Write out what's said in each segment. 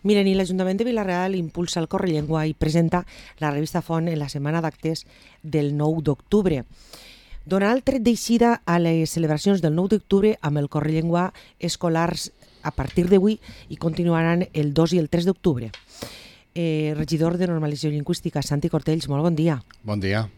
Miren, i l'Ajuntament de Vila-real impulsa el Correllengua i presenta la revista Font en la setmana d'actes del 9 d'octubre. Donarà el tret d'eixida a les celebracions del 9 d'octubre amb el Correllengua escolars a partir d'avui i continuaran el 2 i el 3 d'octubre. Regidor de Normalització Lingüística, Santi Cortells, molt bon dia. Bon dia.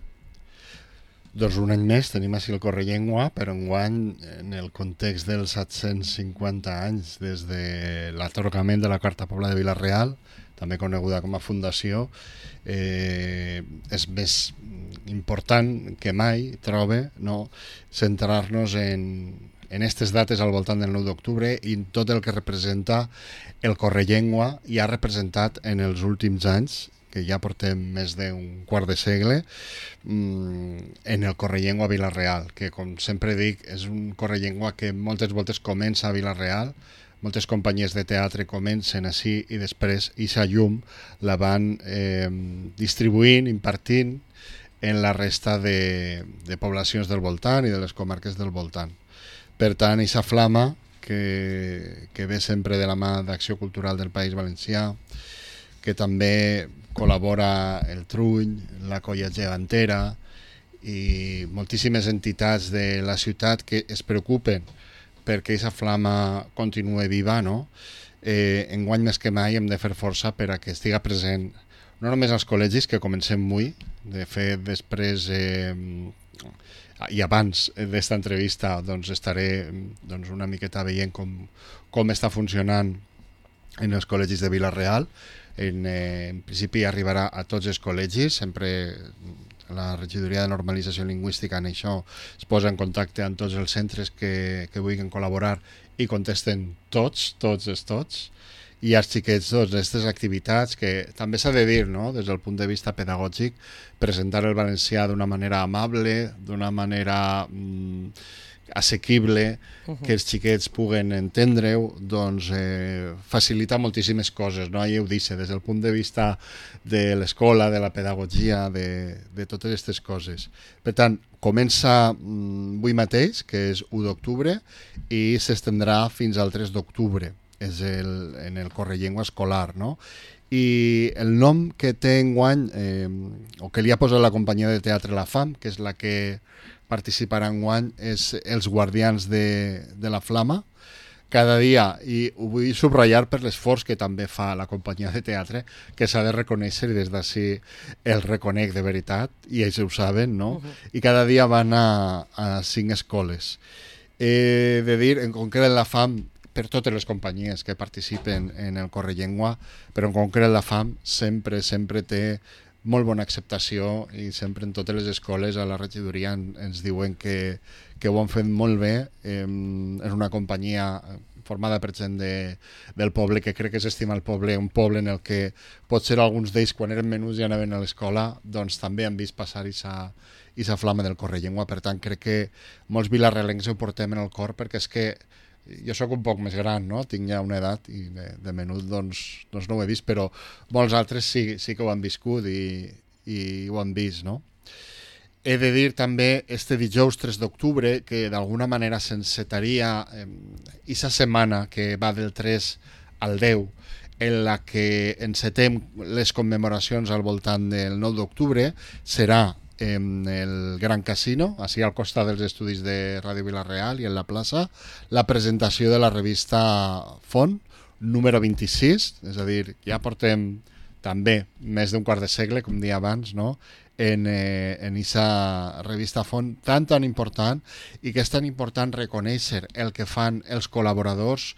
Doncs un any més tenim així el Correllengua, però enguany en el context dels 750 anys des de l'atorgament de la Carta Pobla de Vila-real, també coneguda com a fundació, és més important que mai, trobe, no, centrar-nos en aquestes dates al voltant del 9 d'octubre i en tot el que representa el Correllengua i ha representat en els últims anys, que ja portem més d'un quart de segle, en el Correllengua a Vila-real, que com sempre dic és un Correllengua que moltes voltes comença a Vila-real, moltes companyies de teatre comencen així i després eixa llum la van distribuint, impartint en la resta de poblacions del voltant i de les comarques del voltant. Per tant, eixa flama que ve sempre de la mà d'Acció Cultural del País Valencià, que també col·labora el Trull, la Colla Gegantera i moltíssimes entitats de la ciutat que es preocupen perquè aquesta flama continue viva, no? Enguany més que mai hem de fer força per a que estiga present no només als col·legis, que comencem avui, de fet després i abans d'esta entrevista doncs estaré una miqueta veient com està funcionant en els col·legis de Vila-real. En principi arribarà a tots els col·legis, sempre la regidoria de normalització lingüística en això es posa en contacte amb tots els centres que vulguin col·laborar i contesten tots, i els xiquets d'aquestes activitats que també s'ha de dir, no? Des del punt de vista pedagògic, presentar el valencià d'una manera amable, d'una manera assequible, que els xiquets puguen entendre-ho, doncs facilita moltíssimes coses, no? Ja ho dic, des del punt de vista de l'escola, de la pedagogia, de totes aquestes coses. Per tant, comença avui mateix, que és 1 d'octubre, i s'estendrà fins al 3 d'octubre, és en el Correllengua escolar, no? I el nom que té enguany, o que li ha posat la companyia de teatre La Fam, que és la que participarà enguany, és Els Guardians de la Flama. Cada dia, i ho vull subratllar per l'esforç que també fa la companyia de teatre, que s'ha de reconèixer i des d'ací el reconec de veritat, i ells ho saben, no? I cada dia van a 5 escoles. He de dir, en concret la Fam, per totes les companyies que participen en el Correllengua, però en concret la Fam sempre té molt bona acceptació i sempre en totes les escoles a la regidoria ens diuen que ho han fet molt bé. És una companyia formada per gent del poble que crec que s'estima el poble, un poble en el que potser alguns d'ells quan eren menuts i anaven a l'escola doncs també han vist passar aquesta flama del Correllengua. Per tant crec que molts vilarrealencs ho portem en el cor, perquè és que jo sóc un poc més gran, no? Tinc ja una edat i de menut doncs no ho he vist, però molts altres sí que ho han viscut i ho han vist, no? He de dir també este dijous 3 d'octubre que d'alguna manera s'encetaria aquesta setmana que va del 3 al 10, en la que encetem les commemoracions al voltant del 9 d'octubre, serà en el Gran Casino, així al costat dels estudis de Ràdio Vila-real i en la plaça, la presentació de la revista Font, número 26, és a dir, ja portem també més d'un quart de segle, com dia abans, no? en aquesta revista Font tan important, i que és tan important reconèixer el que fan els col·laboradors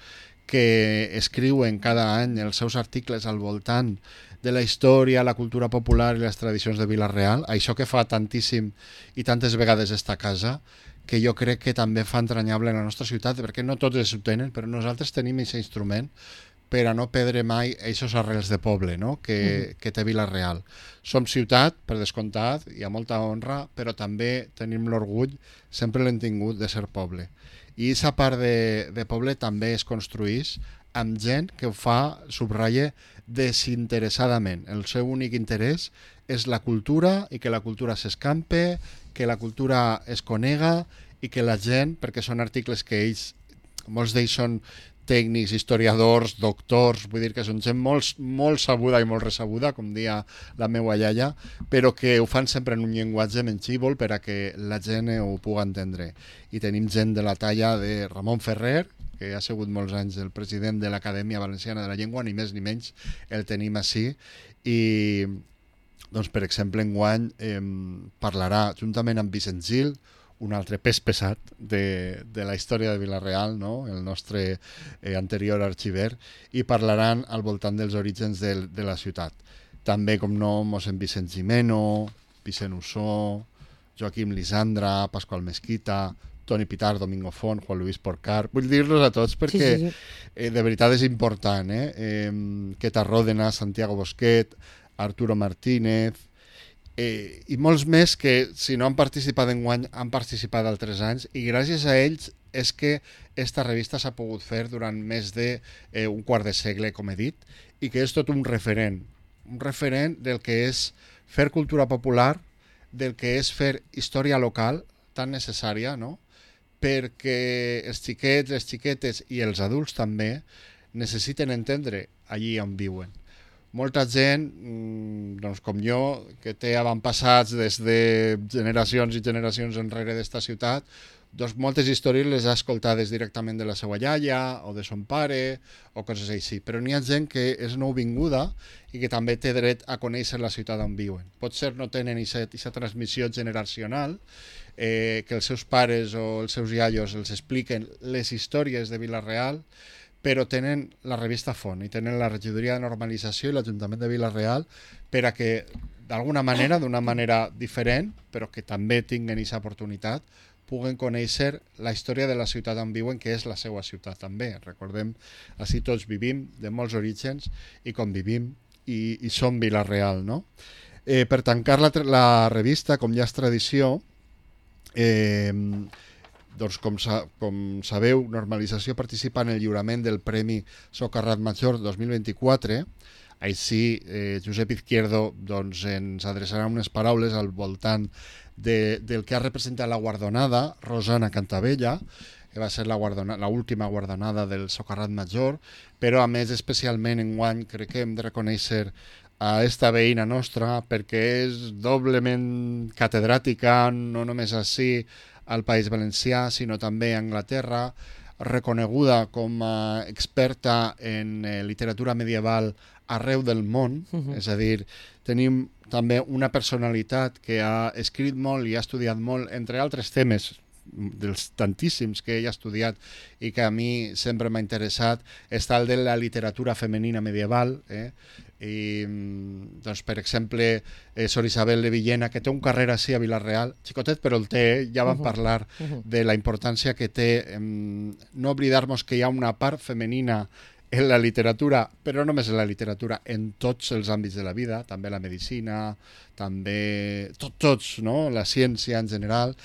que escriuen cada any els seus articles al voltant de la història, la cultura popular i les tradicions de Vila-real, això que fa tantíssim i tantes vegades esta casa, que jo crec que també fa entranyable la nostra ciutat, perquè no tots ho tenen, però nosaltres tenim aquest instrument per a no perdre mai aquests arrels de poble, no? que té Vila-real. Som ciutat, per descomptat, i a molta honra, però també tenim l'orgull, sempre l'hem tingut, de ser poble. I aquesta part de poble també es construeix amb gent que ho fa, subratlla, desinteressadament. El seu únic interès és la cultura i que la cultura s'escampe, que la cultura es conega i que la gent, perquè són articles que ells, molts d'ells són tècnics, historiadors, doctors, vull dir que són gent molt sabuda i molt ressabuda, com dia la meva iaia, però que ho fan sempre en un llenguatge menxívol per a que la gent ho pugui entendre. I tenim gent de la talla de Ramon Ferrer, que ha sigut molts anys el president de l'Acadèmia Valenciana de la Llengua, ni més ni menys el tenim així, i doncs, per exemple, enguany parlarà juntament amb Vicent Gil, un altre pes pesat de la història de Vila-real, no? El nostre anterior arxiver, i parlaran al voltant dels orígens de la ciutat. També, com no, mossèn Vicent Gimeno, Vicent Ussó, Joaquim Lisandra, Pasqual Mesquita, Toni Pitar, Domingo Font, Juan Luis Porcar. Vull dir-los a tots perquè Sí. de veritat és important. Queta Ròdena, Santiago Bosquet, Arturo Martínez, i molts més que, si no han participat enguany, han participat altres anys, i gràcies a ells és que esta revista s'ha pogut fer durant més d'un quart de segle, com he dit, i que és tot un referent del que és fer cultura popular, del que és fer història local, tan necessària, no? Perquè els xiquets, les xiquetes i els adults també necessiten entendre allí on viuen. Molta gent, doncs com jo, que té avantpassats des de generacions i generacions enrere d'esta ciutat, doncs moltes històries les ha escoltades directament de la seva iaia o de son pare o coses així. Però n'hi ha gent que és nouvinguda i que també té dret a conèixer la ciutat on viuen. Potser no tenen aquesta transmissió generacional, que els seus pares o els seus iaios els expliquen les històries de Vila-real, però tenen la revista Font i tenen la regidoria de normalització i l'Ajuntament de Vila-real per a que, d'alguna manera, d'una manera diferent, però que també tinguen aquesta oportunitat, puguen conèixer la història de la ciutat on viuen, que és la seva ciutat també. Recordem, així tots vivim de molts orígens i convivim i som Vila-real, no? Per tancar la revista, com ja és tradició, doncs com sabeu, Normalització participa en el lliurament del Premi Socarrat Major 2024. Així, Josep Izquierdo doncs, ens adreçarà unes paraules al voltant del que ha representat la guardonada, Rosana Cantabella, que va ser l'última guardonada del Socarrat Major, però a més especialment enguany crec que hem de reconèixer a esta veïna nostra perquè és doblement catedràtica, no només així al País Valencià, sinó també a Anglaterra, reconeguda com a experta en literatura medieval arreu del món, és a dir, tenim també una personalitat que ha escrit molt i ha estudiat molt, entre altres temes, dels tantíssims que ell ha estudiat i que a mi sempre m'ha interessat, està el de la literatura femenina medieval, i doncs, per exemple, Sor Isabel de Villena, que té un carrer així a Vila-real, xicotet però el té, ja vam parlar de la importància que té no oblidar-nos que hi ha una part femenina en la literatura, però no només en la literatura, en tots els àmbits de la vida, també la medicina, també tots, no? La ciència en general,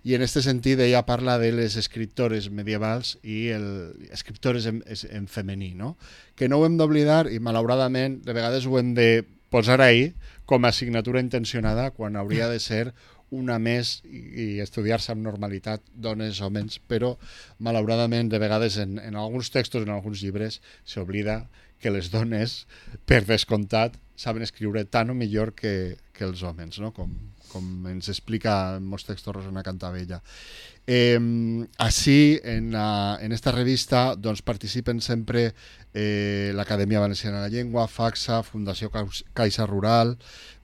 i en aquest sentit ella parla de les escriptores medievals i escriptores en femení, no? Que no ho hem d'oblidar i malauradament de vegades ho hem de posar ahí com a assignatura intencionada quan hauria de ser una més i estudiar-se amb normalitat dones, homes, però malauradament de vegades en alguns textos, en alguns llibres, s'oblida que les dones, per descomptat, saben escriure tant o millor que els homes, no? Com ens explica en molts textos Rosana Cantabella. Així, en esta revista doncs, participen sempre l'Acadèmia Valenciana de la Llengua, FACSA, Fundació Caixa Rural,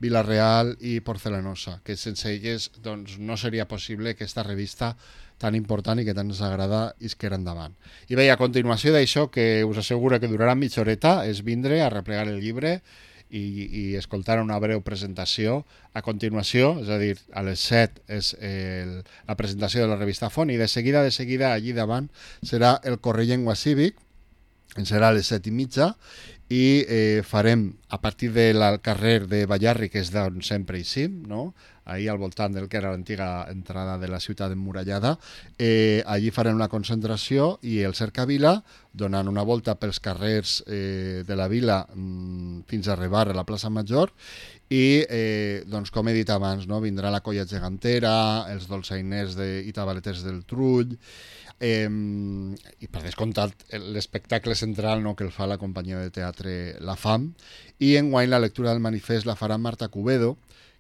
Vila-real i Porcelanosa, que sense elles doncs, no seria possible que aquesta revista tan important i que tant ens agrada isquera endavant. I bé, a continuació d'això, que us asseguro que durarà mitja horeta, és vindre a replegar el llibre i escoltar una breu presentació. A continuació, és a dir, a les 7 és la presentació de la revista Font i de seguida allí davant serà el Correll Llengua Cívic, serà a les 7:30 i farem a partir del carrer de Ballarri, que és d'on sempre hi sim, no? Ahí al voltant del que era l'antiga entrada de la ciutat emmurallada, allí farem una concentració i el cercavila, donant una volta pels carrers de la vila fins a arribar a la plaça Major i, doncs, com he dit abans, no? Vindrà la colla gegantera, els dolçainers i tabaleters del Trull. i per descomptat l'espectacle central, no, que el fa la companyia de teatre La Fam, i enguany la lectura del manifest la farà Marta Cubedo,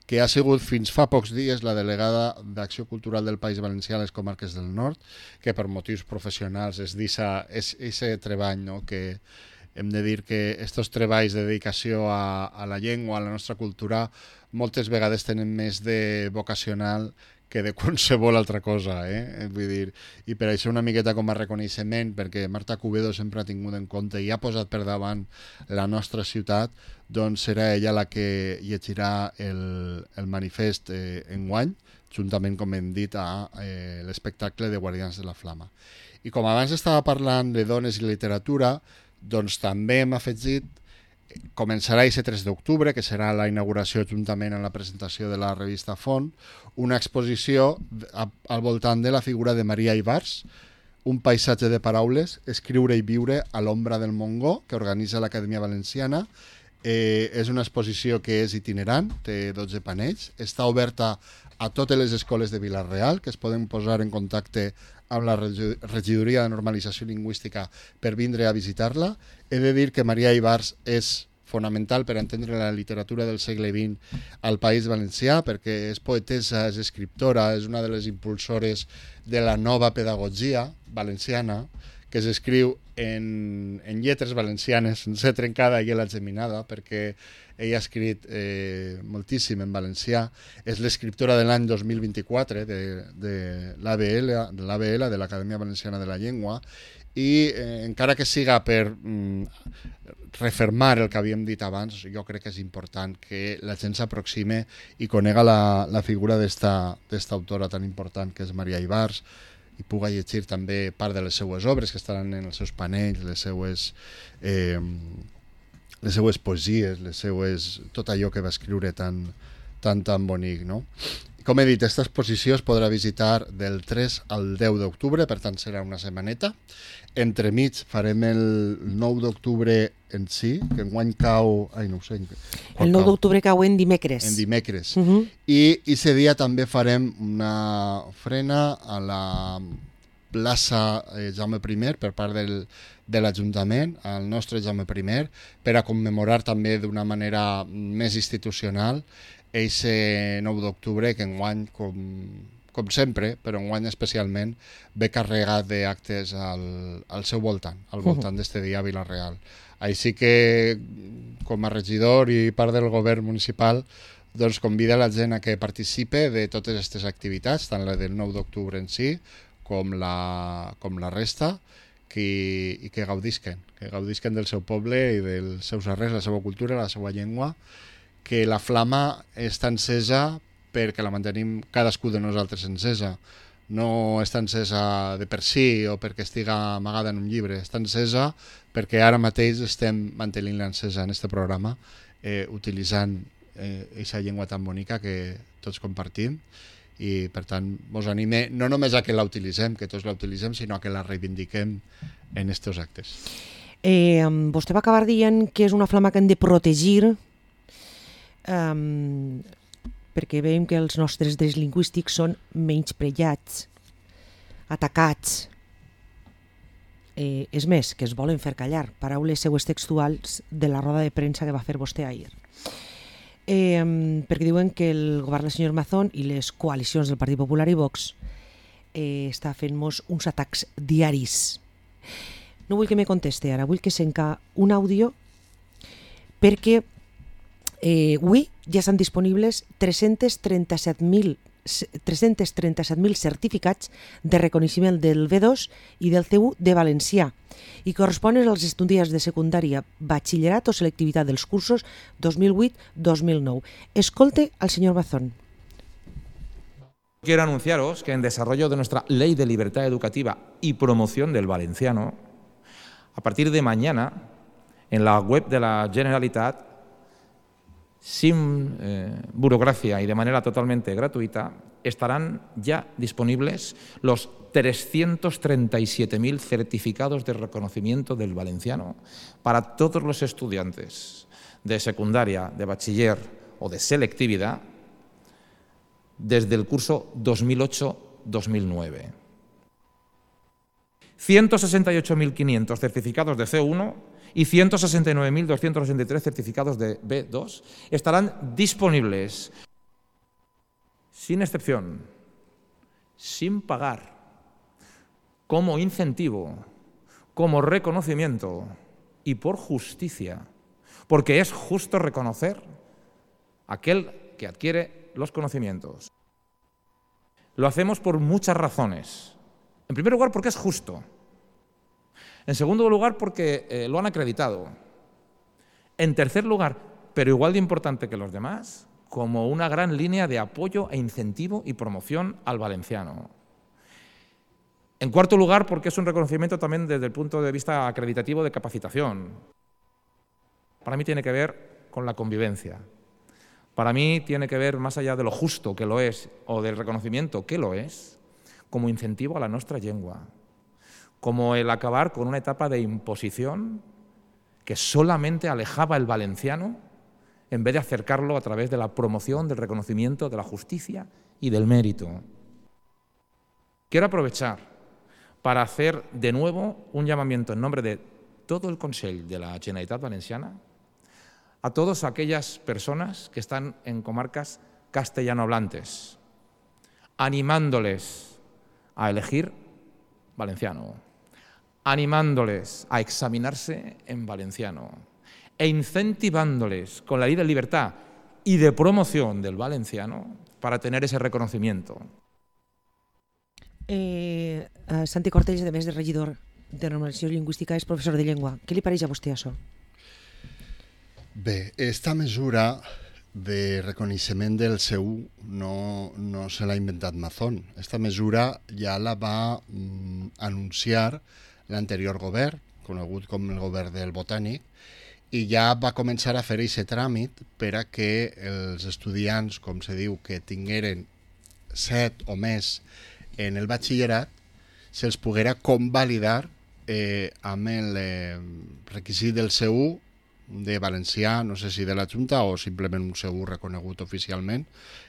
que ha sigut fins fa pocs dies la delegada d'Acció Cultural del País Valencià a les Comarques del Nord, que per motius professionals és aquest treball, no? Que hem de dir que aquests treballs de dedicació a la llengua, a la nostra cultura, moltes vegades tenen més de vocacional que de qualsevol altra cosa, vull dir, i per això una miqueta com a reconeixement, perquè Marta Cubedo sempre ha tingut en compte i ha posat per davant la nostra ciutat, doncs serà ella la que llegirà el manifest enguany, juntament, com hem dit, a l'espectacle de Guardians de la Flama. I com abans estava parlant de dones i literatura, doncs també hem afegit, començarà aquest 3 d'octubre, que serà la inauguració juntament amb la presentació de la revista Font, una exposició al voltant de la figura de Maria Ibars, un paisatge de paraules, escriure i viure a l'ombra del Montgó, que organitza l'Acadèmia Valenciana. És una exposició que és itinerant, té 12 panells, està oberta a totes les escoles de Vila-real, que es poden posar en contacte amb la Regidoria de Normalització Lingüística per vindre a visitar-la. He de dir que Maria Ibars és fonamental per entendre la literatura del segle XX al País Valencià, perquè és poetessa, és escriptora, és una de les impulsores de la nova pedagogia valenciana, que s'escriu en lletres valencianes, sense trencada i la geminada, perquè ella ha escrit moltíssim en valencià. És l'escriptora de l'any 2024 de l'ABL, de l'Acadèmia Valenciana de la Llengua, i encara que siga per refermar el que havíem dit abans, jo crec que és important que la gent s'aproxime i conega la figura d'esta autora tan important que és Maria Ibars, i puga llegir també part de les seues obres que estaran en els seus panells, les seues poesies, tot allò que va escriure tan bonic, no? Com he dit, aquesta exposició es podrà visitar del 3 al 10 d'octubre, per tant serà una setmaneta. Entremig farem el 9 d'octubre en si, que enguany cau... Ai, no ho sé. El 9 d'octubre cau en dimecres. En dimecres. I aquest dia també farem una ofrena a la plaça Jaume I per part de l'Ajuntament, al nostre Jaume I, per a commemorar també d'una manera més institucional aquest 9 d'octubre, que enguany, com sempre, però enguany especialment, ve carregat d'actes al seu voltant, al voltant d'este dia a Vila-real. Així que, com a regidor i part del govern municipal, doncs convida la gent a que participe de totes aquestes activitats, tant la del 9 d'octubre en si, com la resta, i que gaudisquen del seu poble i dels seus arrels, la seva cultura, la seva llengua, que la flama està encesa perquè la mantenim cadascú de nosaltres encesa. No està encesa de per si o perquè estiga amagada en un llibre, està encesa perquè ara mateix estem mantenint-la encesa en aquest programa, utilitzant aquesta llengua tan bonica que tots compartim, i per tant vos anime no només a que la utilitzem, que tots la utilitzem, sinó a que la reivindiquem en aquests actes. Vostè va acabar dient que és una flama que hem de protegir, perquè veiem que els nostres drets lingüístics són menyspreats, atacats. És més, que es volen fer callar. Paraules seues textuals de la roda de premsa que va fer vostè ahir. Perquè diuen que el govern del senyor Mazón i les coalicions del Partit Popular i Vox està fent-nos uns atacs diaris. No vull que me conteste ara, vull que senca un àudio, perquè avui ja estan disponibles 337.000 certificats de reconeixement del B2 i del C1 de valencià i corresponen als estudiants de secundària, batxillerat o selectivitat dels cursos 2008-2009. Escolte al señor Mazón. Quiero anunciaros que en desarrollo de nuestra Ley de Libertad Educativa y Promoción del Valenciano, a partir de mañana, en la web de la Generalitat, sin burocracia y de manera totalmente gratuita, estarán ya disponibles los 337.000 certificados de reconocimiento del valenciano para todos los estudiantes de secundaria, de bachiller o de selectividad desde el curso 2008-2009. 168.500 certificados de C1 y 169.263 certificados de B2 estarán disponibles sin excepción, sin pagar, como incentivo, como reconocimiento y por justicia, porque es justo reconocer a aquel que adquiere los conocimientos. Lo hacemos por muchas razones. En primer lugar, porque es justo. En segundo lugar, porque lo han acreditado. En tercer lugar, pero igual de importante que los demás, como una gran línea de apoyo e incentivo y promoción al valenciano. En cuarto lugar, porque es un reconocimiento también desde el punto de vista acreditativo de capacitación. Para mí tiene que ver con la convivencia. Para mí tiene que ver, más allá de lo justo que lo es o del reconocimiento que lo es, como incentivo a la nostra llengua, como el acabar con una etapa de imposición que solamente alejaba el valenciano en vez de acercarlo a través de la promoción, del reconocimiento, de la justicia y del mérito. Quiero aprovechar para hacer de nuevo un llamamiento en nombre de todo el Consell de la Generalitat Valenciana a todas aquellas personas que están en comarcas castellanohablantes, animándoles a elegir valenciano, animándoles a examinarse en valenciano e incentivándoles con la ley de libertad y de promoción del valenciano para tener ese reconocimiento. Santi Cortells, a més de regidor de normalització lingüística, és professor de llengua. Què li pareix a vostè això? Bé, esta mesura de reconeixement del C1 no se l'ha inventat Mazón. Esta mesura ja la va anunciar l'anterior govern, conegut com el govern del Botànic, i ja va començar a fer aquest tràmit per a que els estudiants, com se diu, que tingueren 7 o més en el batxillerat, se'ls poguera convalidar amb el requisit del C1 de valencià, no sé si de la Junta o simplement un C1 reconegut oficialment.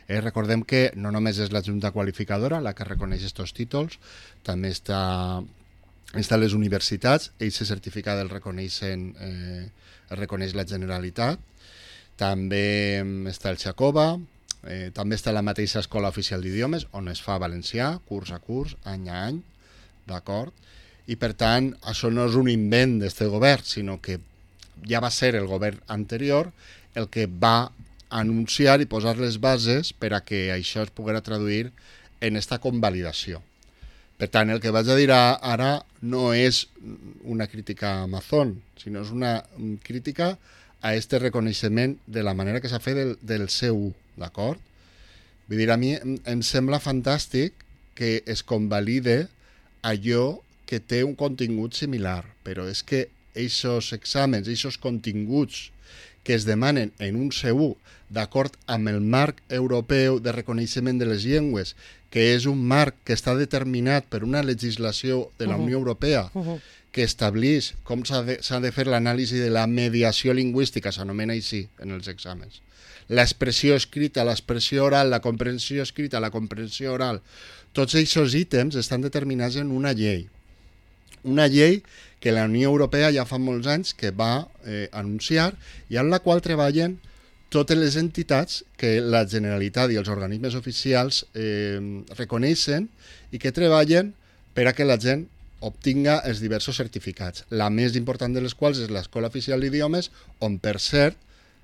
Recordem que no només és la Junta qualificadora la que reconeix aquests títols, també està les universitats, ells se certificat el reconeix la Generalitat, també està el Xacova, també està la mateixa Escola Oficial d'Idiomes, on es fa valencià, curs a curs, any a any, d'acord? I per tant, això no és un invent d'aquest govern, sinó que ja va ser el govern anterior el que va anunciar i posar les bases per a que això es poguera traduir en esta convalidació. Per tant, el que vaig a dir ara no és una crítica a Mazón, sinó és una crítica a este reconeixement de la manera que s'ha fet del C1, d'acord? Vull dir, a mi em sembla fantàstic que es convalide allò que té un contingut similar, però és que aquests exàmens, aquests continguts que es demanen en un C1 d'acord amb el marc europeu de reconeixement de les llengües, que és un marc que està determinat per una legislació de la Unió Europea que estableix com s'ha de fer l'anàlisi de la mediació lingüística, s'anomena així en els exàmens. L'expressió escrita, l'expressió oral, la comprensió escrita, la comprensió oral, tots aquests ítems estan determinats en una llei. Una llei que la Unió Europea ja fa molts anys que va anunciar i en la qual treballen totes les entitats que la Generalitat i els organismes oficials reconeixen i que treballen per a que la gent obtinga els diversos certificats. La més important de les quals és l'Escola Oficial d'Idiomes, on, per cert,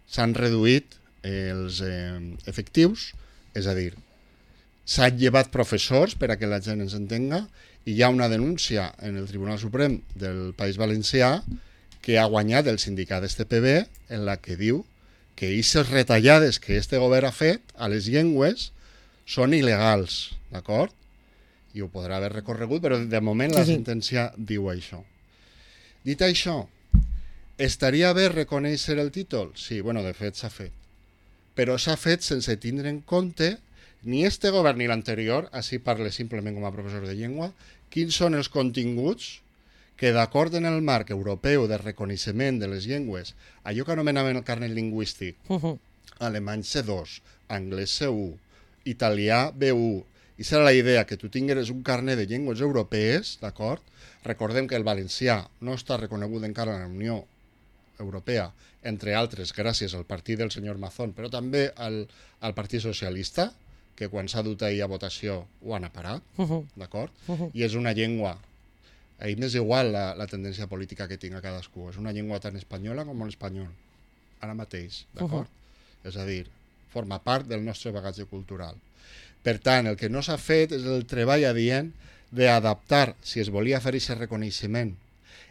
s'han reduït els efectius, és a dir, s'han llevat professors per a que la gent ens entenga, i hi ha una denúncia en el Tribunal Suprem del País Valencià que ha guanyat el sindicat STPB en la que diu que aquestes retallades que este govern ha fet a les llengües són il·legals, d'acord? I ho podrà haver recorregut, però de moment la sentència diu això. Dit això, estaria bé reconèixer el títol? Sí, bueno, de fet s'ha fet. Però s'ha fet sense tindre en compte ni este govern ni l'anterior, així parle simplement com a professor de llengua, quins són els continguts que d'acord en el marc europeu de reconeixement de les llengües, allò que anomenaven el carnet lingüístic, alemany C2, anglès C1, italià B1 I serà la idea, que tu tingueres un carnet de llengües europees, d'acord? Recordem que el valencià no està reconegut encara en la Unió Europea, entre altres gràcies al partit del senyor Mazón, però també al Partit Socialista, que quan s'ha dut ahir a votació ho han aparat, d'acord? I és una llengua, a mi m'és igual la tendència política que tinga cadascú, és una llengua tan espanyola com l'espanyol, ara mateix, d'acord? És a dir, forma part del nostre bagatge cultural. Per tant, el que no s'ha fet és el treball adient d'adaptar, si es volia fer aquest reconeixement,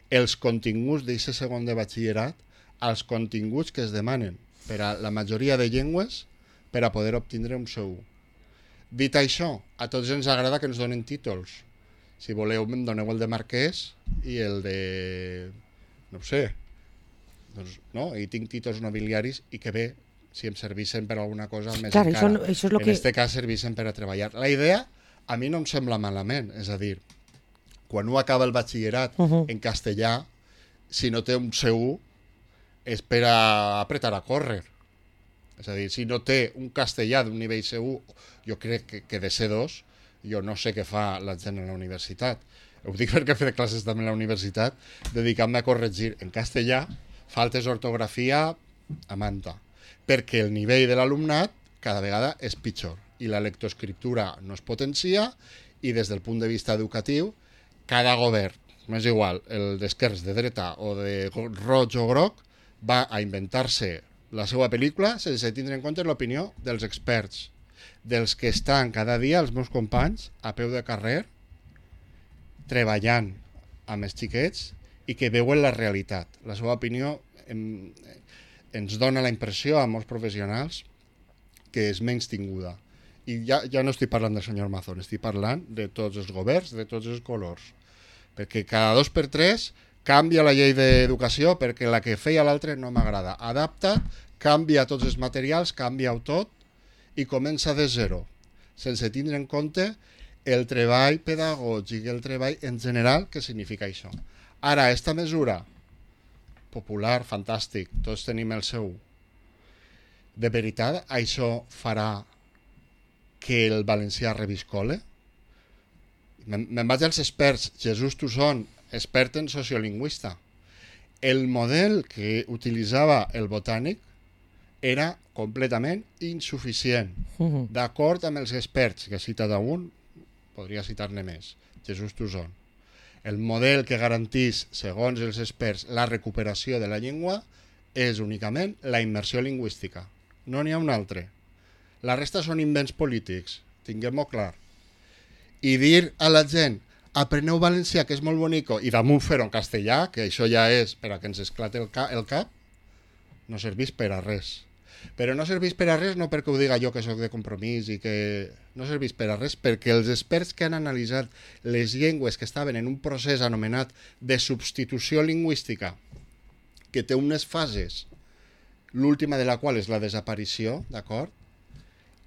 els continguts d'aquest segon de batxillerat als continguts que es demanen per a la majoria de llengües per a poder obtindre un C1. Dit això, a tots ens agrada que ens donen títols. Si voleu, em doneu el de marquès i el de... no ho sé. Doncs, no? I tinc títols nobiliaris i que bé, si em servissin per alguna cosa més clar, encara. Això és lo en aquest cas servissin per a treballar. La idea a mi no em sembla malament, és a dir, quan un acaba el batxillerat en castellà, si no té un C1, és per a apretar a córrer. És a dir, si no té un castellà d'un nivell C1, jo crec que de C2, jo no sé què fa la gent a la universitat. Ho dic perquè he fet classes també a la universitat, dedicant-me a corregir en castellà faltes d'ortografia a manta, perquè el nivell de l'alumnat cada vegada és pitjor i la lectoescriptura no es potencia i des del punt de vista educatiu cada govern, m'és igual, el d'esquerres, de dreta o de roig o groc, va a inventar-se la seva pel·lícula sense tindre en compte l'opinió dels experts, dels que estan cada dia, els meus companys, a peu de carrer, treballant amb els xiquets i que veuen la realitat. La seva opinió ens dona la impressió a molts professionals que és menys tinguda. I ja no estic parlant del senyor Mazón, estic parlant de tots els governs, de tots els colors. Perquè cada 2 per 3 canvia la llei d'educació perquè la que feia l'altre no m'agrada. Adapta, canvia tots els materials, canvia-ho tot i comença de zero, sense tindre en compte el treball pedagògic, el treball en general que significa això. Ara, aquesta mesura popular, fantàstic, tots tenim el seu. De veritat, això farà que el valencià reviscole? Me'n vaig als experts. Jesús Tussón, expert en sociolingüista. El model que utilitzava el botànic era completament insuficient. D'acord amb els experts, que he citat a un, podria citar-ne més, Jesús Tussón. El model que garantís, segons els experts, la recuperació de la llengua és únicament la immersió lingüística. No n'hi ha un altre. La resta són invents polítics, tinguem-ho clar. I dir a la gent, apreneu valencià, que és molt bonico, i damunt fer-ho en castellà, que això ja és per a que ens esclate el cap, no serveix per a res. Però no serveix per a res no perquè ho diga jo que sóc de Compromís i que no serveix per a res perquè els experts que han analitzat les llengües que estaven en un procés anomenat de substitució lingüística, que té unes fases, l'última de la qual és la desaparició, d'acord?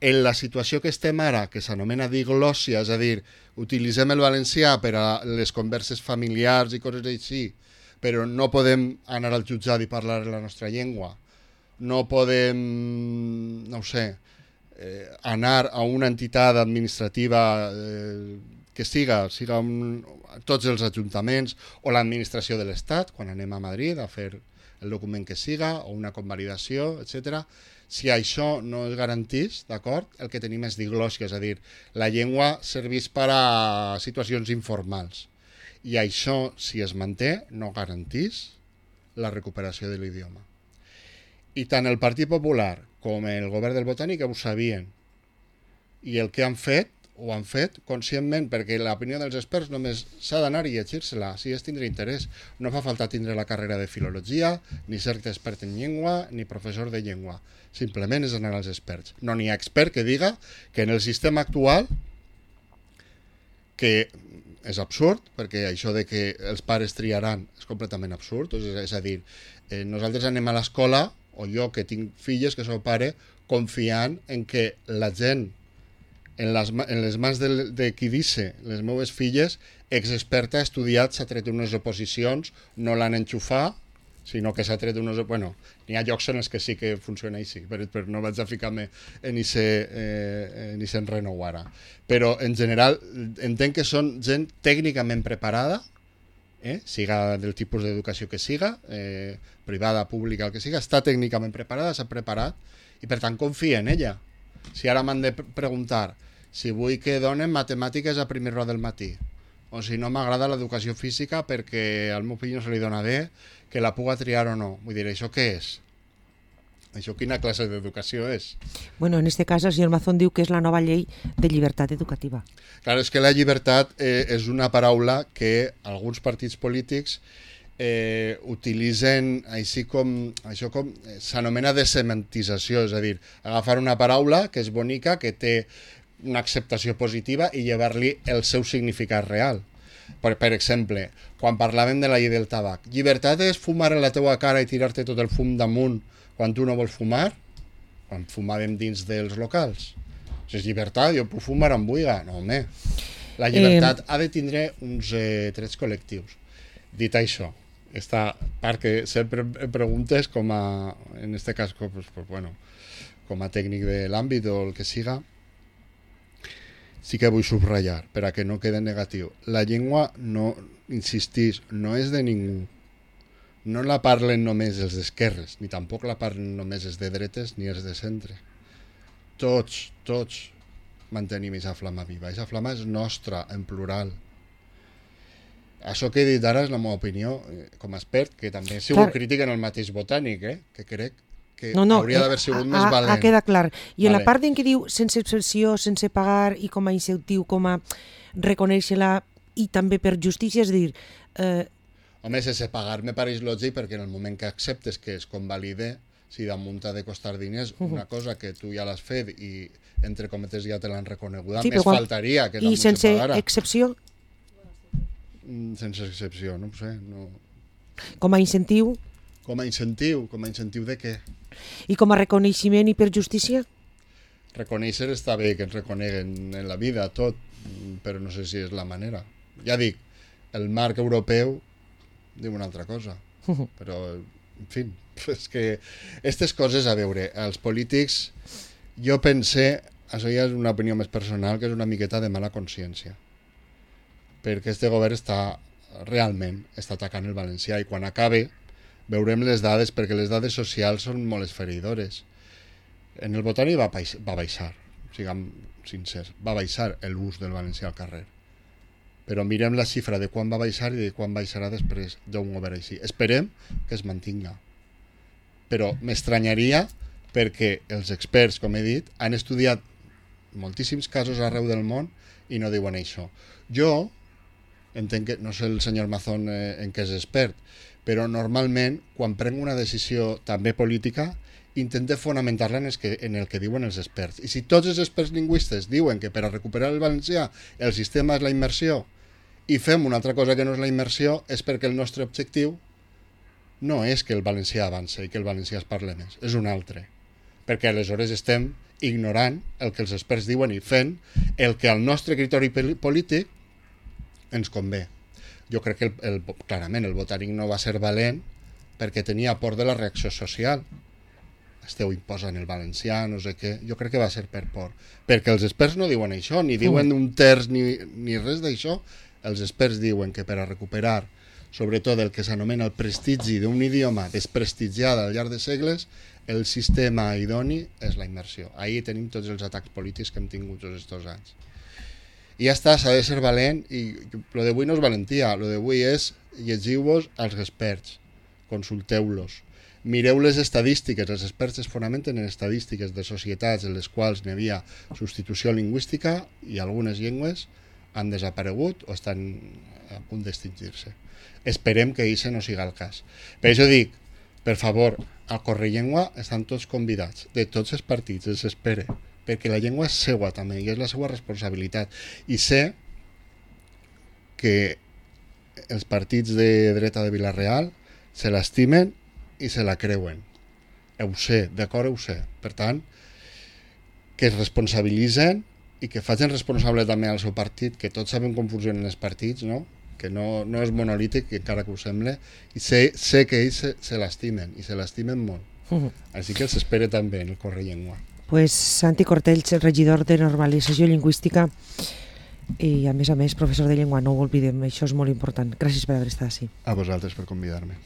En la situació que estem ara, que s'anomena diglòssia, és a dir, utilitzem el valencià per a les converses familiars i coses així, però no podem anar al jutjat i parlar la nostra llengua, no podem, no ho sé, anar a una entitat administrativa que siga tots els ajuntaments o l'administració de l'Estat, quan anem a Madrid a fer el document que siga, o una convalidació, etc. Si això no es garantís, d'acord, el que tenim és diglòssia, és a dir, la llengua serveix per a situacions informals. I això, si es manté, no garantís la recuperació de l'idioma. I tant el Partit Popular com el govern del Botànic ho sabien. I el que han fet, ho han fet conscientment, perquè l'opinió dels experts només s'ha d'anar i llegir-se-la, si és tindre interès. No fa falta tindre la carrera de filologia, ni ser expert en llengua, ni professor de llengua. Simplement és anar als experts. No n'hi ha expert que diga que en el sistema actual, que és absurd, perquè això de que els pares triaran és completament absurd, és a dir, nosaltres anem a l'escola, o jo que tinc filles que sóc pare, confiant en que la gent en les mans de qui dice les meves filles, experta, ha estudiat, s'ha tret unes oposicions, no l'han enxufat sinó que s'ha tret unos... Bueno, n'hi ha llocs en els que sí que funciona així, però no vaig a ficar-me en aquest enrenou ara. Però, en general, entenc que són gent tècnicament preparada, siga del tipus d'educació que siga, privada, pública, el que siga, està tècnicament preparada, s'ha preparat, i per tant confia en ella. Si ara m'han de preguntar si vull que donen matemàtiques a primera hora del matí, o si no m'agrada l'educació física perquè al meu fill no se li dona bé, que la puga triar o no. Vull dir, això què és? Això quina classe d'educació és? Bueno, en este cas el senyor Mazón diu que és la nova llei de llibertat educativa. Clar, és que la llibertat és una paraula que alguns partits polítics utilitzen així com s'anomena desemantització, és a dir, agafar una paraula que és bonica, que té una acceptació positiva i llevar-li el seu significat real. Per exemple, quan parlàvem de la llei del tabac, llibertat és fumar a la teua cara i tirar-te tot el fum damunt quan tu no vols fumar? Quan fumàvem dins dels locals. Si és llibertat, jo puc fumar on vulgui. No, home. La llibertat ha de tindre uns trets col·lectius. Dit això, esta part que sempre em preguntes com a, en este cas, com a tècnic de l'àmbit o el que siga, sí que vull subratllar, per a que no quede negatiu. La llengua, no insistís, no és de ningú. No la parlen només els d'esquerres, ni tampoc la parlen només els de dretes ni els de centre. Tots mantenim aquesta flama viva. Aquesta flama és nostra, en plural. Això que he dit ara és la meva opinió com a expert, que també he sigut crític en el mateix Botànic, que crec que hauria d'haver sigut més valent. Ha quedat clar. I en la part en què diu sense excepció, sense pagar i com a incentiu, com a reconèixer-la i també per justícia, és a dir... Home, sense pagar me pareix lògic perquè en el moment que acceptes que es convalide, si damunt ha de costar diners, una cosa que tu ja l'has fet i entre cometes ja te l'han reconeguda, més faltaria que damunt se pagara. I sense excepció? Sense excepció, no ho sé. No. Com a incentiu? Com a incentiu de què? I com a reconeixement i per justícia? Reconèixer està bé que ens reconeguen en la vida tot, però no sé si és la manera. Ja dic, el marc europeu diu una altra cosa, però, en fi, és que aquestes coses, a veure, els polítics, jo pense, això ja és una opinió més personal, que és una miqueta de mala consciència, perquè este govern realment està atacant el valencià i quan acabe veurem les dades, perquè les dades socials són molt esfereïdores. En el Botànic va baixar, siguem sincers, va baixar l'ús del valencià al carrer. Però mirem la xifra de quan va baixar i de quan baixarà després d'un govern així. Esperem que es mantinga. Però m'estranyaria perquè els experts, com he dit, han estudiat moltíssims casos arreu del món i no diuen això. Jo entenc que, no sé el senyor Mazón en què és expert, però normalment quan prenc una decisió també política intente fonamentar-la en el que diuen els experts. I si tots els experts lingüistes diuen que per a recuperar el valencià el sistema és la immersió i fem una altra cosa que no és la immersió, és perquè el nostre objectiu no és que el valencià avance i que el valencià es parle més, és un altre. Perquè aleshores estem ignorant el que els experts diuen i fent el que al nostre criteri polític ens convé. Jo crec que clarament el Botànic no va ser valent perquè tenia por de la reacció social. Esteu imposant el valencià, no sé què. Jo crec que va ser per por. Perquè els experts no diuen això, ni diuen un terç ni res d'això. Els experts diuen que per a recuperar sobretot el que s'anomena el prestigi d'un idioma desprestigiat al llarg de segles, el sistema idoni és la immersió. Ahí tenim tots els atacs polítics que hem tingut tots aquests anys. I ja està, s'ha de ser valent, i lo d'avui no és valentia, lo d'avui és llegiu-vos als experts, consulteu-los, mireu les estadístiques, els experts es fonamenten en estadístiques de societats en les quals n'hi havia substitució lingüística i algunes llengües han desaparegut o estan a punt d'extingir-se. Esperem que això no siga el cas. Per això dic, per favor, al Correllengua estan tots convidats, de tots els partits, els espere, perquè la llengua és seua també i és la seva responsabilitat. I sé que els partits de dreta de Vila-real se l'estimen i se la creuen. Ho sé, d'acord, ho sé. Per tant, que es responsabilitzen i que facin responsable també al seu partit, que tots sabem com funcionen els partits, no? que no és monolític, encara que ho sembla, i sé que ells se l'estimen, i se l'estimen molt. Així que s'espera també en el Correllengua. Pues Santi Cortells, regidor de Normalització Lingüística i, a més, professor de llengua, no ho oblidem, això és molt important. Gràcies per haver estat així. A vosaltres per convidar-me.